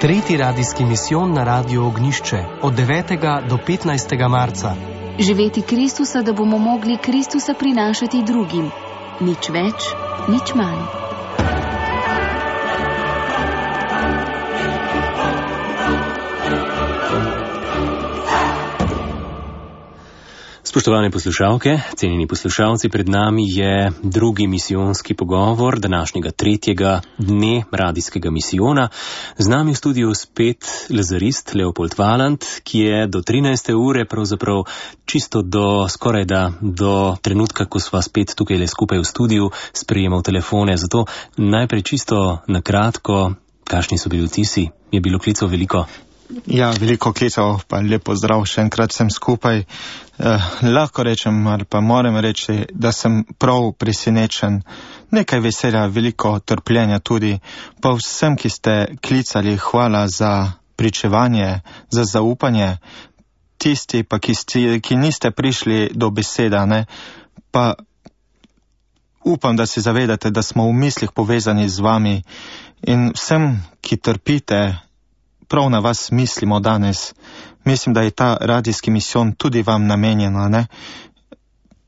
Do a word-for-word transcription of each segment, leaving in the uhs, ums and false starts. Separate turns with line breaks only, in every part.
Tretji radijski misijon na Radiu Ognjišče od devetega do petnajstega marca.
Živeti Kristusa, da bomo mogli Kristusa prinašati drugim. Nič več, nič manj.
Spoštovane poslušalke, cenjeni poslušalci, pred nami je drugi misijonski pogovor današnjega tretjega dne radijskega misijona. Z nami v studiu spet lazarist Leopold Valant, ki je do trinajste ure, pravzaprav čisto do skoraj da do trenutka, ko sva spet tukaj le skupaj v studiu, sprejemal telefone. Zato najprej čisto na kratko, kakšni so bili vtisi? Je bilo klicev veliko?
Ja, veliko klicev, pa lepo zdrav, še enkrat sem skupaj. Eh, lahko rečem, ali pa moram reči, da sem prav presenečen. Nekaj veselja, veliko trpljenja tudi. Pa vsem, ki ste klicali, hvala za pričevanje, za zaupanje. Tisti pa, ki, sti, ki niste prišli do beseda, ne, pa upam, da se zavedate, da smo v mislih povezani z vami. In vsem, ki trpite, prav na vas mislimo danes. Mislim, da je ta radijski misijon tudi vam namenjena, ne?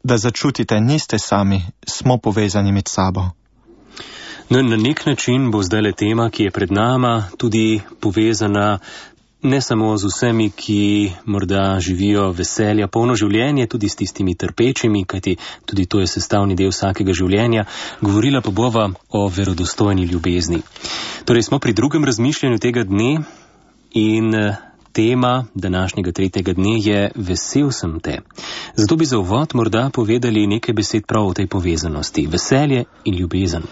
Da začutite, niste sami, smo povezani med sabo.
No, na nek način bo zdaj le tema, ki je pred nama, tudi povezana ne samo z vsemi, ki morda živijo veselja, polno življenje, tudi s tistimi trpečimi, kajti tudi to je sestavni del vsakega življenja. Govorila pa bova o verodostojni ljubezni. Torej smo pri drugem razmišljanju tega dne in tema današnjega tretjega dne je Vesel sem te. Zato bi za uvod morda povedali nekaj besed prav o tej povezanosti. Veselje in ljubezen.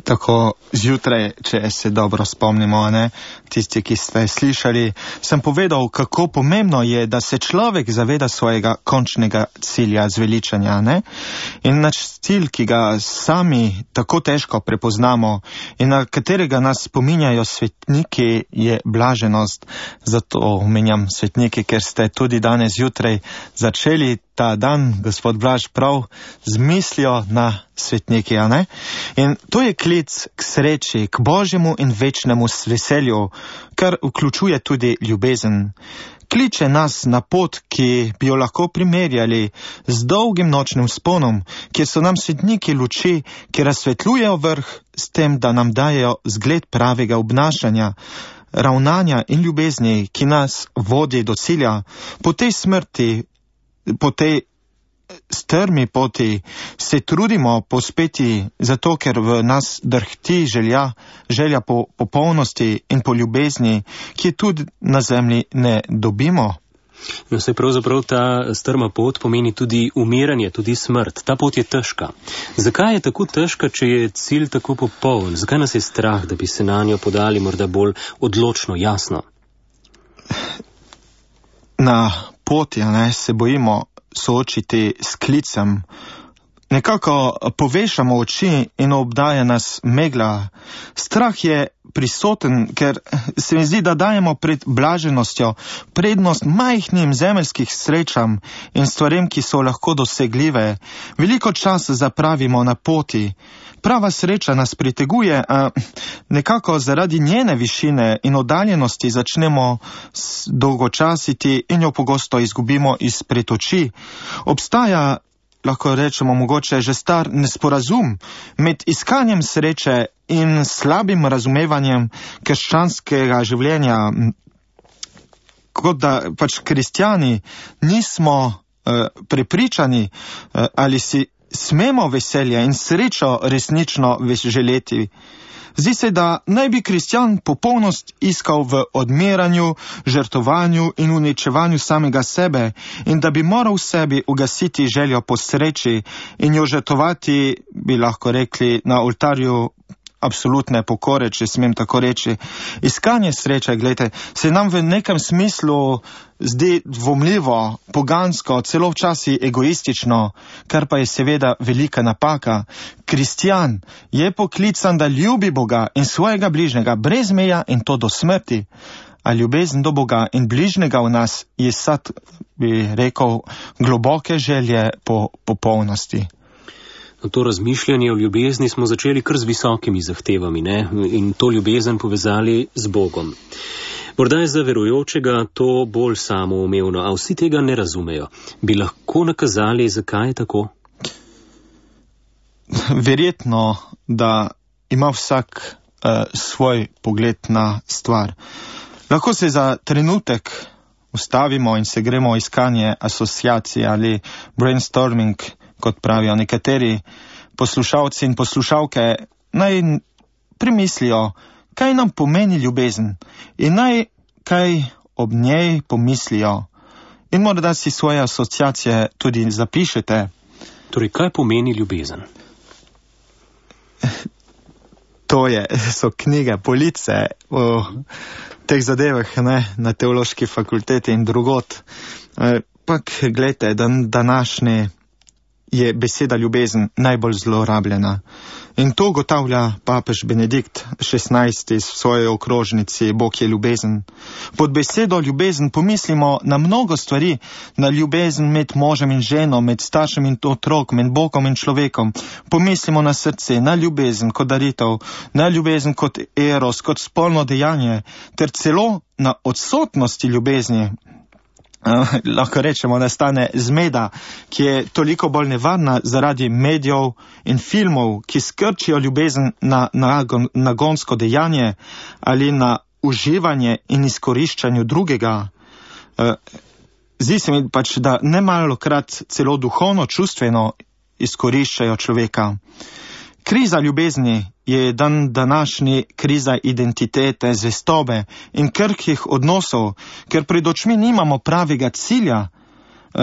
Tako zjutraj, če se dobro spomnimo, ne, tisti, ki ste slišali, sem povedal, kako pomembno je, da se človek zaveda svojega končnega cilja zveličanja, ne? In naš cilj, ki ga sami tako težko prepoznamo in na katerega nas spominjajo svetniki, je blaženost. Zato omenjam svetniki, ker ste tudi danes zjutraj začeli ta dan, gospod Blaž, prav z mislijo na svetniki, a ne? In to je klic k sreči, k božjemu in večnemu veselju, kar vključuje tudi ljubezen. Kliče nas na pot, ki bi jo lahko primerjali z dolgim nočnim sponom, kjer so nam svetniki luči, ki razsvetljujejo vrh s tem, da nam dajejo zgled pravega obnašanja, ravnanja in ljubezni, ki nas vodi do cilja. Po tej smrti, po tej strmi poti se trudimo pospeti, zato ker v nas drhti želja, želja po popolnosti in po ljubezni, ki tudi na zemlji ne dobimo.
No, se pravzaprav ta strma pot pomeni tudi umiranje, tudi smrt. Ta pot je težka. Zakaj je tako težka, če je cilj tako popoln? Zakaj nas je strah, da bi se na njo podali morda bolj odločno, jasno?
Na poti, ne, se bojimo soočiti s klicem. Nekako povešamo oči in obdaja nas megla. Strah je prisoten, ker se mi zdi, da dajemo pred blaženostjo prednost majhnim zemeljskih srečam in stvarem, ki so lahko dosegljive. Veliko časa zapravimo na poti. Prava sreča nas priteguje, a nekako zaradi njene višine in oddaljenosti začnemo dolgočasiti in jo pogosto izgubimo izpred oči. Obstaja, lahko rečemo, mogoče že star nesporazum med iskanjem sreče in slabim razumevanjem krščanskega življenja. Kot da pač kristjani nismo uh, prepričani, uh, ali si smemo veselje in srečo resnično želeti. Zdi se, da naj bi kristjan popolnost iskal v odmeranju, žrtovanju in uničevanju samega sebe in da bi moral v sebi ugasiti željo po sreči in jo žrtovati, bi lahko rekli, na oltarju absolutne pokore, če smem tako reči. Iskanje sreče, gledajte, se nam v nekem smislu zdi dvomljivo, pogansko, celo včasih egoistično, kar pa je seveda velika napaka. Kristjan je poklican, da ljubi Boga in svojega bližnjega brez meja in to do smrti. A ljubezen do Boga in bližnjega v nas je sad, bi rekel, globoke želje po popolnosti.
To razmišljanje o ljubezni smo začeli kar z visokimi zahtevami, ne? In to ljubezen povezali z Bogom. Morda je za verujočega to bolj samoumevno, a vsi tega ne razumejo. Bi lahko nakazali, zakaj je tako?
Verjetno, da ima vsak uh, svoj pogled na stvar. Lahko se za trenutek ustavimo in se gremo iskanje asociacije ali brainstorming, kot pravijo nekateri poslušalci in poslušalke, naj premislijo, kaj nam pomeni ljubezen in naj kaj ob njej pomislijo. In morda si svoje asociacije tudi zapišete.
Torej, kaj pomeni ljubezen?
To je, so knjige, police o teh zadevah, ne, na teološki fakulteti in drugot. Pak, gledajte, dan, današnji je beseda ljubezen najbolj zlorabljena. In to ugotavlja papež Benedikt šestnajsti v svoji okrožnici Bog je ljubezen. Pod besedo ljubezen pomislimo na mnogo stvari, na ljubezen med možem in ženo, med staršem in otrokom, med Bogom in človekom. Pomislimo na srce, na ljubezen kot daritev, na ljubezen kot eros, kot spolno dejanje, ter celo na odsotnosti ljubezni. Uh, lahko rečemo, da stane zmeda, ki je toliko bolj nevarna zaradi medijev in filmov, ki skrčijo ljubezen na, na nagonsko dejanje ali na uživanje in izkoriščanju drugega. Uh, zdi se mi pač, da nemalokrat celo duhovno, čustveno izkoriščajo človeka. Kriza ljubezni je dan današnji kriza identitete, zvestobe in krhkih odnosov, ker pred očmi nimamo pravega cilja.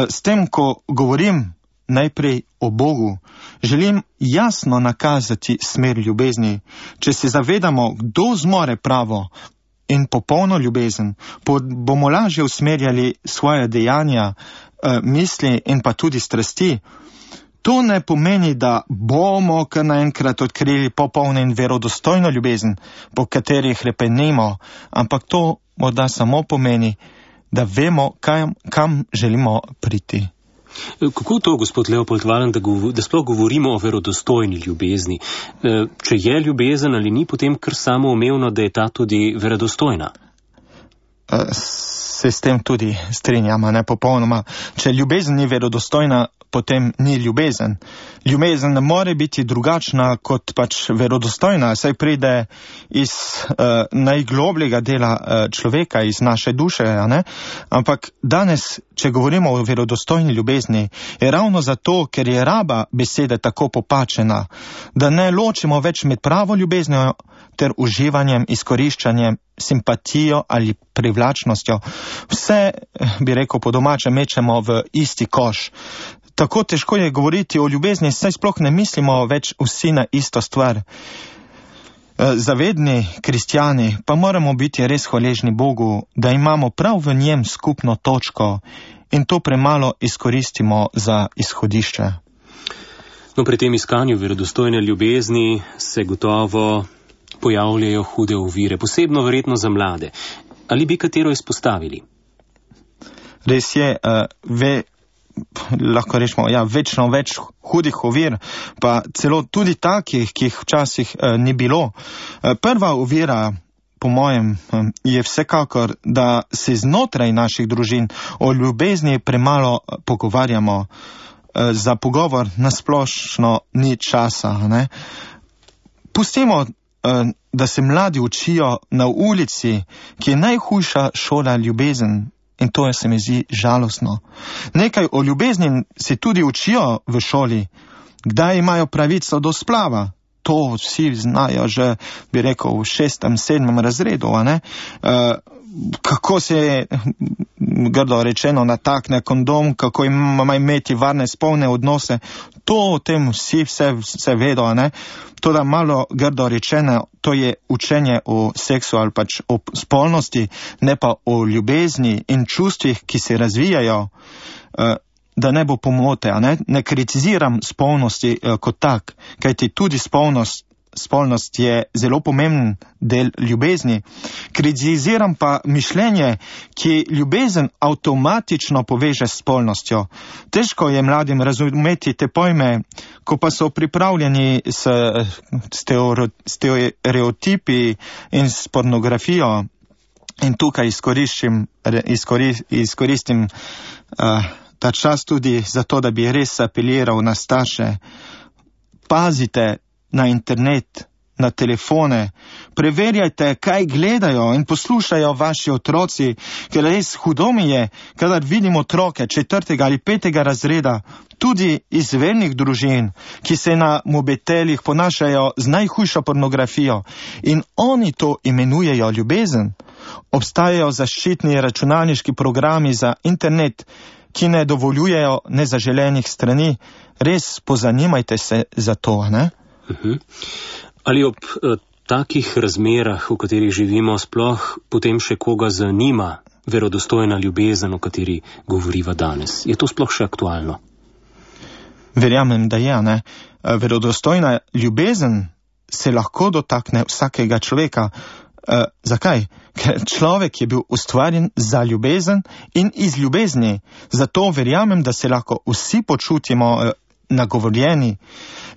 S tem, ko govorim najprej o Bogu, želim jasno nakazati smer ljubezni. Če se zavedamo, kdo zmore pravo in popolno ljubezen, bomo lažje usmerjali svoje dejanja, misli in pa tudi strasti. To ne pomeni, da bomo kar naenkrat odkrili popolno in verodostojno ljubezen, po kateri hrepenemo, ampak to morda samo pomeni, da vemo, kam, kam želimo priti.
Kako to, gospod Leopold Valen, da, gov- da sploh govorimo o verodostojni ljubezni? Če je ljubezen ali ni, potem kar samoumevno, da je ta tudi verodostojna?
Se s tem tudi strinjamo, ne popolnoma. Če ljubezen ni verodostojna, potem ni ljubezen. Ljubezen ne more biti drugačna kot pač verodostojna, saj pride iz uh, najglobljega dela uh, človeka, iz naše duše, a ne? Ampak danes, če govorimo o verodostojni ljubezni, je ravno zato, ker je raba besede tako popačena, da ne ločimo več med pravo ljubeznijo ter uživanjem, izkoriščanjem, simpatijo ali privlačnostjo. Vse, bi rekel po domače, mečemo v isti koš. Tako težko je govoriti o ljubezni, saj sploh ne mislimo več vsi na isto stvar. Zavedni kristjani pa moramo biti res hvaležni Bogu, da imamo prav v njem skupno točko in to premalo izkoristimo za izhodišče.
No, pri tem iskanju verodostojne ljubezni se gotovo pojavljajo hude ovire, posebno verjetno za mlade. Ali bi katero izpostavili?
Res je, uh, ve, lahko rečemo, ja, večno več hudih ovir, pa celo tudi takih, ki jih včasih uh, ni bilo. Uh, prva ovira, po mojem, um, je vsekakor, da se znotraj naših družin o ljubezni premalo pogovarjamo. Uh, za pogovor nasplošno ni časa, ne? Pustimo, da se mladi učijo na ulici, ki je najhujša šola ljubezen, in to je, se mi zdi, žalostno. Nekaj o ljubezni se tudi učijo v šoli, kdaj imajo pravico do splava. To vsi znajo že, bi rekel, v šestem, sedmem razredu, a ne? Uh, kako se je, grdo rečeno, natakne kondom, kako ima imeti varne spolne odnose, to o tem vsi vse, vse vedo, a ne? To, da malo grdo rečeno, to je učenje o seksu ali pač o spolnosti, ne pa o ljubezni in čustvih, ki se razvijajo, uh, da ne bo pomote, a ne? Ne kritiziram spolnosti uh, kot tak, kajti tudi spolnost spolnost je zelo pomemben del ljubezni. Kritiziram pa mišljenje, ki ljubezen avtomatično poveže s spolnostjo. Težko je mladim razumeti te pojme, ko pa so pripravljeni s stereotipi in s pornografijo. In tukaj izkoristim, izkoristim uh, ta čas tudi zato, da bi res apeliral na starše. Pazite na internet, na telefone, preverjajte, kaj gledajo in poslušajo vaši otroci, ker res hudo mi je, kadar vidim otroke četrtega ali petega razreda, tudi iz vernih družin, ki se na mobitelih ponašajo z najhujšo pornografijo in oni to imenujejo ljubezen. Obstajajo zaščitni računalniški programi za internet, ki ne dovoljujejo nezaželenih strani. Res pozanimajte se za to, ne?
Uh-huh. Ali ob uh, takih razmerah, v katerih živimo, sploh potem še koga zanima verodostojna ljubezen, o kateri govoriva danes? Je to sploh še aktualno?
Verjamem, da je, ne. Verodostojna ljubezen se lahko dotakne vsakega človeka. Uh, zakaj? Ker človek je bil ustvarjen za ljubezen in iz ljubezni. Zato verjamem, da se lahko vsi počutimo uh, nagovorjeni.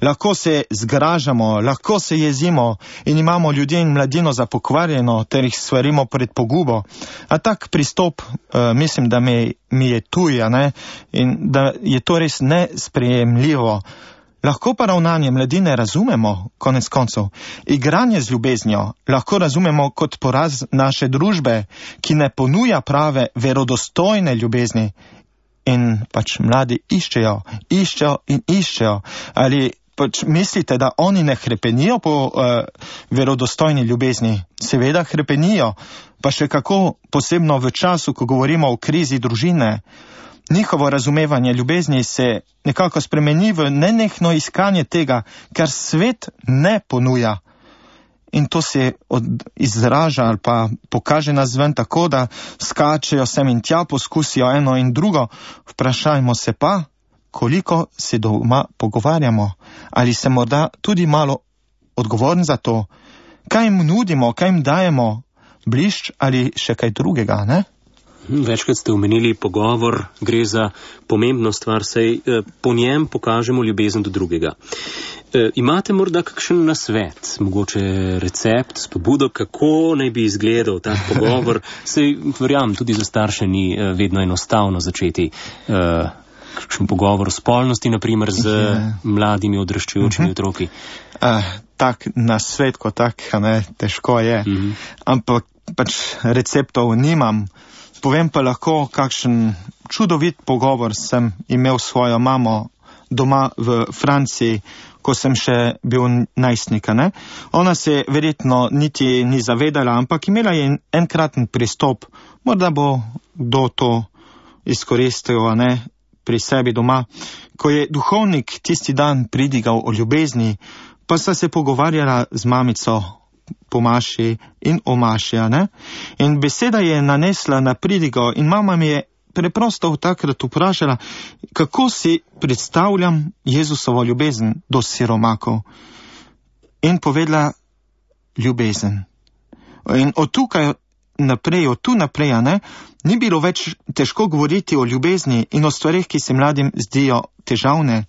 Lahko se zgražamo, lahko se jezimo in imamo ljudje in mladino za pokvarjeno, ter jih svarimo pred pogubo. A tak pristop, uh, mislim, da mi, mi je tuja, ne? In da je to res nesprejemljivo. Lahko pa ravnanje mladine razumemo, konec koncev. Igranje z ljubeznjo lahko razumemo kot poraz naše družbe, ki ne ponuja prave, verodostojne ljubezni. In pač mladi iščejo, iščejo in iščejo. Ali pač mislite, da oni ne hrepenijo po uh, verodostojni ljubezni? Seveda hrepenijo, pa še kako posebno v času, ko govorimo o krizi družine. Njihovo razumevanje ljubezni se nekako spremeni v nenehno iskanje tega, kar svet ne ponuja. In to se od, izraža ali pa pokaže nazven tako, da skačejo sem in tja, poskusijo eno in drugo. Vprašajmo se pa, koliko se doma pogovarjamo. Ali se morda tudi malo odgovorni za to, kaj jim nudimo, kaj jim dajemo, blišč ali še kaj drugega, ne?
Večkrat ste omenili pogovor, gre za pomembno stvar, saj eh, po njem pokažemo ljubezen do drugega. E, imate morda kakšen nasvet, mogoče recept, spodbudo, kako naj bi izgledal ta pogovor? Saj verjamem, tudi za starše ni eh, vedno enostavno začeti eh, kakšen pogovor o spolnosti, naprimer z je. mladimi odraščajočimi uh-huh. otroki.
Uh, tak nasvet kot tak, ne, težko je, uh-huh. ampak pač receptov nimam. Povem pa lahko, kakšen čudovit pogovor sem imel s svojo mamo doma v Franciji, ko sem še bil najstnika, ne. Ona se verjetno niti ni zavedala, ampak imela je enkraten pristop. Morda bo kdo to izkoristil, ne, pri sebi doma. Ko je duhovnik tisti dan pridigal o ljubezni, pa sta se pogovarjala z mamico po maši in o maši, ne? In beseda je nanesla na pridigo in mama mi je preprosto takrat vprašala, kako si predstavljam Jezusovo ljubezen do siromakov. In povedala ljubezen. In od tukaj naprej, od tu naprej, ne, ni bilo več težko govoriti o ljubezni in o stvarih, ki se mladim zdijo težavne.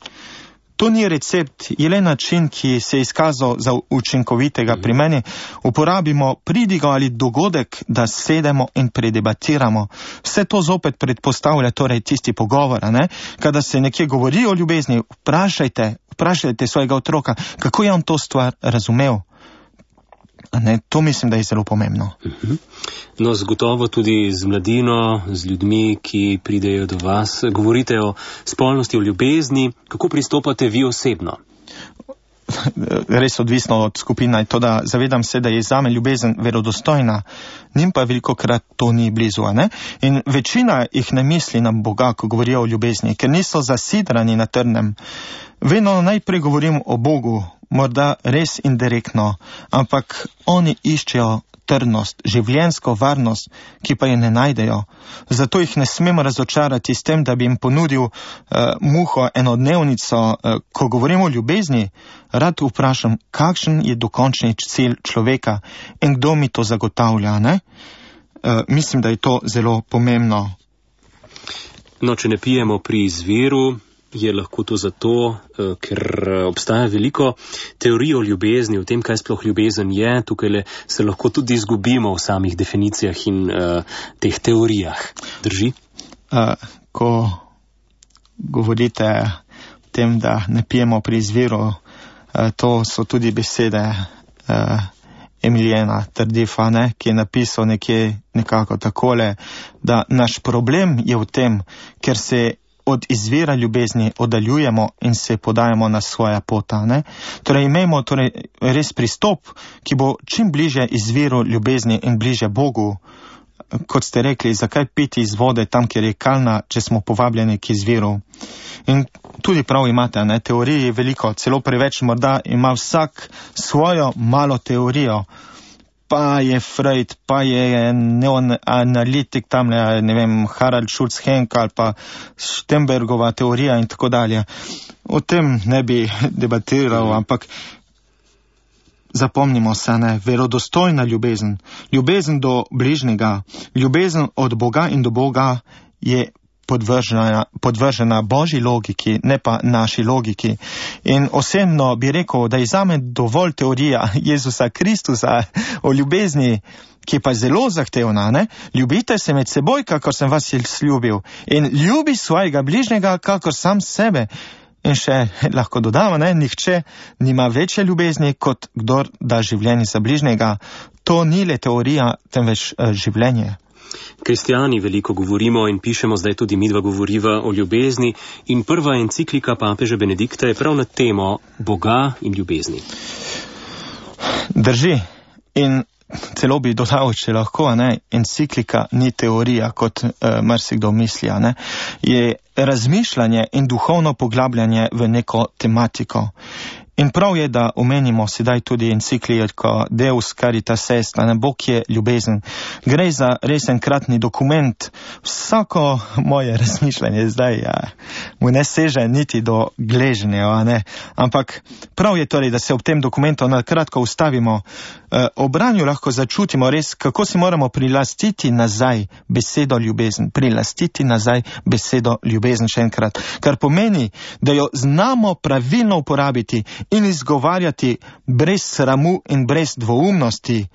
To ni recept, je le način, ki se je izkazal za učinkovitega. Pri meni uporabimo pridigo ali dogodek, da sedemo in predebatiramo. Vse to zopet predpostavlja torej tisti pogovor, ne? Kada se nekje govori o ljubezni, vprašajte, vprašajte svojega otroka, kako je on to stvar razumel. Ne, to mislim, da je zelo pomembno.
Uh-huh. No, zgotovo tudi z mladino, z ljudmi, ki pridejo do vas, govorite o spolnosti, o ljubezni. Kako pristopate vi osebno?
Res odvisno od skupine, to da zavedam se, da je zame ljubezen verodostojna, njim pa velikokrat to ni blizu, ne? In večina jih ne misli na Boga, ko govorijo o ljubezni, ker niso zasidrani na trdnem. Vedno najprej govorim o Bogu, morda res indirektno, ampak oni iščejo trdnost, življenjsko varnost, ki pa je ne najdejo. Zato jih ne smemo razočarati s tem, da bi jim ponudil uh, muho enodnevnico. Uh, ko govorimo o ljubezni, rad vprašam, kakšen je dokončni cilj človeka in kdo mi to zagotavlja, ne? Uh, mislim, da je to zelo pomembno.
No, če ne pijemo pri izviru, je lahko to zato, ker obstaja veliko teorij o ljubezni, o tem, kaj sploh ljubezen je. Tukaj se lahko tudi izgubimo v samih definicijah in uh, teh teorijah. Drži?
Uh, ko govorite o tem, da ne pijemo pri izviru, uh, to so tudi besede uh, Emiljana Tardifa, ne, ki je napisal nekje nekako takole, da naš problem je v tem, ker se od izvira ljubezni oddaljujemo in se podajamo na svoja pota. Ne? Torej imamo torej res pristop, ki bo čim bliže izviru ljubezni in bliže Bogu. Kot ste rekli, zakaj piti iz vode tam, kjer je kalna, če smo povabljeni k izviru. In tudi prav imate, ne? Teorij je veliko, celo preveč, morda ima vsak svojo malo teorijo. Pa je Freud, pa je neoanalitik tam, ne vem, Harald Schulz-Henk ali pa Stenbergova teorija in tako dalje. O tem ne bi debatiral, ampak zapomnimo se, ne, verodostojna ljubezen, ljubezen do bližnjega, ljubezen od Boga in do Boga je podvržena, podvržena Božji logiki, ne pa naši logiki. In osebno bi rekel, da je zame dovolj teorija Jezusa Kristusa o ljubezni, ki pa je zelo zahtevna, ne? Ljubite se med seboj, kakor sem vas ljubil, in ljubi svojega bližnjega, kakor sam sebe. In še lahko dodamo, ne, nihče nima večje ljubezni, kot kdor da življenje za bližnjega. To ni le teorija, temveč uh, življenje.
Kristijani veliko govorimo in pišemo, zdaj tudi midva govoriva o ljubezni, in prva enciklika papeža Benedikta je prav na temo Boga in ljubezni.
Drži. In celo bi dodal, če lahko, ne, enciklika ni teorija, kot uh, marsikdo misli, ne, je razmišljanje in duhovno poglabljanje v neko tematiko. In prav je, da omenimo sedaj tudi encikliko Deus Caritas Est, ne, Bog je ljubezen. Gre za res enkratni dokument. Vsako moje razmišljanje zdaj ja, mu ne seže niti do gležnja, ne. Ampak prav je torej, da se ob tem dokumentu na kratko ustavimo. E, ob branju lahko začutimo res, kako si moramo prilastiti nazaj besedo ljubezen. Prilastiti nazaj besedo ljubezen še enkrat. Kar pomeni, da jo znamo pravilno uporabiti in izgovarjati brez sramu in brez dvoumnosti.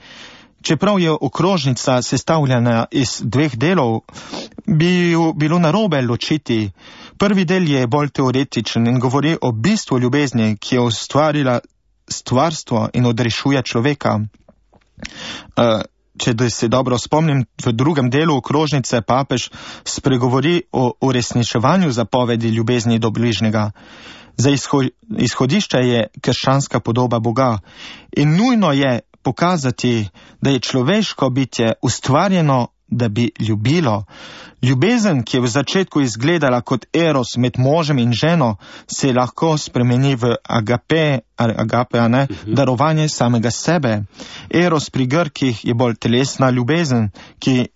Čeprav je okrožnica sestavljena iz dveh delov, bi bilo narobe ločiti. Prvi del je bolj teoretičen in govori o bistvu ljubezni, ki je ustvarila stvarstvo in odrešuje človeka. Če se dobro spomnim, v drugem delu okrožnice papež spregovori o uresničevanju zapovedi ljubezni do bližnjega. Za izhodišče je krščanska podoba Boga in nujno je pokazati, da je človeško bitje ustvarjeno, da bi ljubilo. Ljubezen, ki je v začetku izgledala kot eros med možem in ženo, se lahko spremeni v agape, agape, a ne, darovanje samega sebe. Eros pri Grkih je bolj telesna ljubezen, ki eh,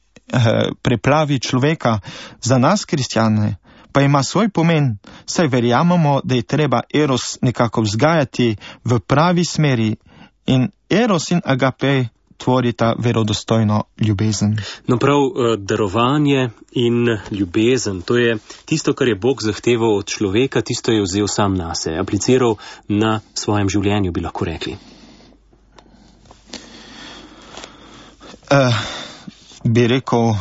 preplavi človeka. Za nas, kristjane, pa ima svoj pomen, saj verjamemo, da je treba eros nekako vzgajati v pravi smeri in eros in agape tvorita verodostojno ljubezen.
No prav, darovanje in ljubezen, to je tisto, kar je Bog zahteval od človeka, tisto je vzel sam nase, apliciral na svojem življenju, bi lahko rekli.
Uh, bi rekel,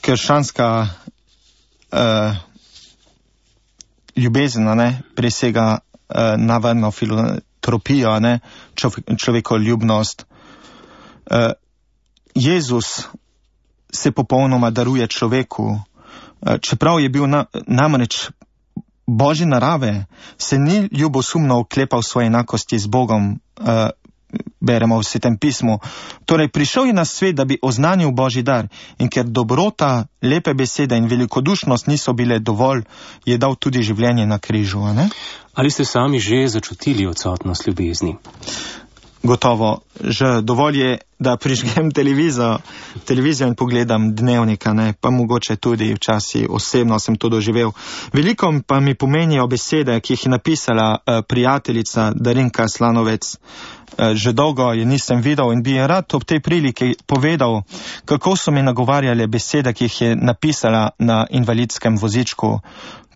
krščanska uh, ljubezen, ne, presega uh, navadno filantropijo, ne, človekoljubnost. Uh, Jezus se popolnoma daruje človeku, uh, čeprav je bil na, namreč Božje narave, se ni ljubosumno oklepal svoje enakosti z Bogom, uh, beremo v Svetem pismu. Torej prišel je na svet, da bi oznanil Božji dar, in ker dobrota, lepe besede in velikodušnost niso bile dovolj, je dal tudi življenje na križu, a ne?
Ali ste sami že začutili odsotnost ljubezni?
Gotovo, že dovolj je, da prižgem televizijo, televizijo in pogledam dnevnika, ne, pa mogoče tudi včasih osebno sem to doživel. Veliko pa mi pomenijo besede, ki jih je napisala uh, prijateljica Darinka Slanovec. Uh, že dolgo je nisem videl in bi je rad ob tej priliki povedal, kako so mi nagovarjale besede, ki jih je napisala na invalidskem vozičku.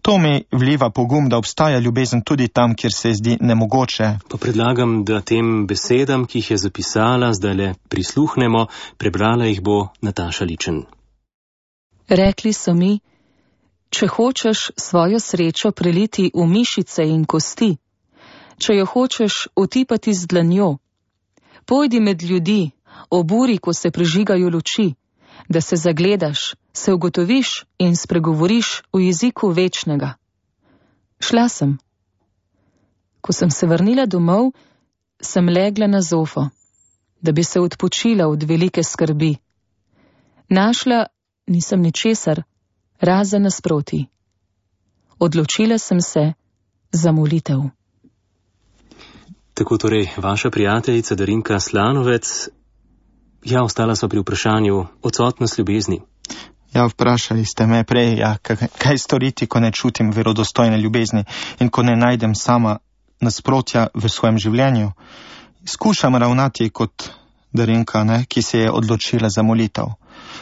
To mi vliva pogum, da obstaja ljubezen tudi tam, kjer se zdi nemogoče.
Pa predlagam, da tem besedam, ki jih je zapisala, zdaj le prisluhnemo, prebrala jih bo Nataša Ličen.
Rekli so mi, če hočeš svojo srečo preliti v mišice in kosti, če jo hočeš otipati z dlanjo, pojdi med ljudi, oburi, ko se prižigajo luči, da se zagledaš, se ugotoviš in spregovoriš v jeziku večnega. Šla sem. Ko sem se vrnila domov, sem legla na zofo, da bi se odpočila od velike skrbi. Našla nisem ničesar, razen nasproti. Odločila sem se za molitev.
Tako torej vaša prijateljica Darinka Slanovec. Ja, ostala so pri vprašanju odsotnost ljubezni.
Ja, vprašali ste me prej, ja, kaj storiti, ko ne čutim verodostojne ljubezni in ko ne najdem sama nasprotja v svojem življenju. Skušam ravnati kot Darinka, ne, ki se je odločila za molitev.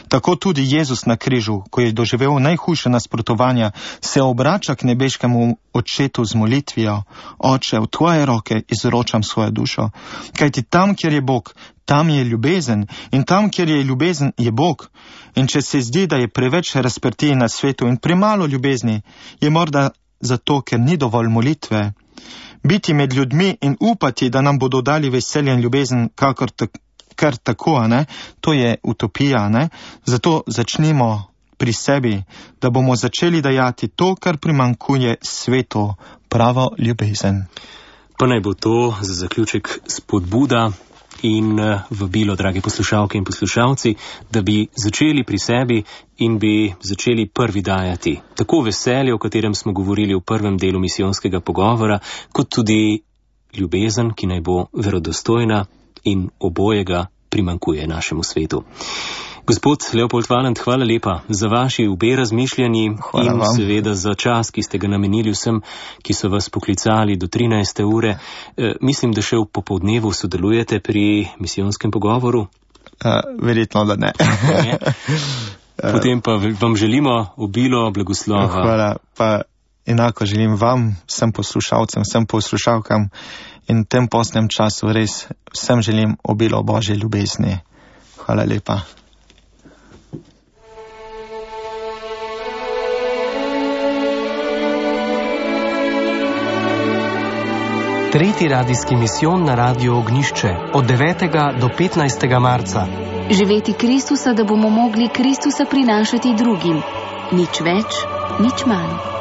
Tako tudi Jezus na križu, ko je doživel najhujše nasprotovanja, se obrača k nebeškemu očetu z molitvijo: Oče, v tvoje roke izročam svojo dušo. Kajti tam, kjer je Bog, tam je ljubezen, in tam, kjer je ljubezen, je Bog. In če se zdi, da je preveč razprtij na svetu in premalo ljubezni, je morda zato, ker ni dovolj molitve. Biti med ljudmi in upati, da nam bodo dali veselje in ljubezen, kakor tako, kar tako, ne? To je utopija, ne? Zato začnimo pri sebi, da bomo začeli dajati to, kar primankuje svetu, pravo ljubezen.
Pa naj bo to za zaključek spodbuda in vabilo, dragi poslušalke in poslušalci, da bi začeli pri sebi in bi začeli prvi dajati tako veselje, o katerem smo govorili v prvem delu misijonskega pogovora, kot tudi ljubezen, ki naj bo verodostojna in obojega primankuje našemu svetu. Gospod Leopold Valant, hvala lepa za vaši obe razmišljanji
hvala
in
vam.
Seveda za čas, ki ste ga namenili vsem, ki so vas poklicali do trinajste ure. E, mislim, da še v popoldnevu sodelujete pri misijonskem pogovoru?
Uh, verjetno, da ne.
ne. Potem pa vam želimo obilo blagoslova.
Hvala, pa enako želim vam, vsem poslušalcem, vsem poslušalkam in v tem postnem času res vsem želim obilo Božje ljubezni. Hvala lepa.
Tretji radijski misijon na Radiu Ognišče od devetega do petnajstega marca.
Živeti Kristusa, da bomo mogli Kristusa prinašati drugim. Nič več, nič manj.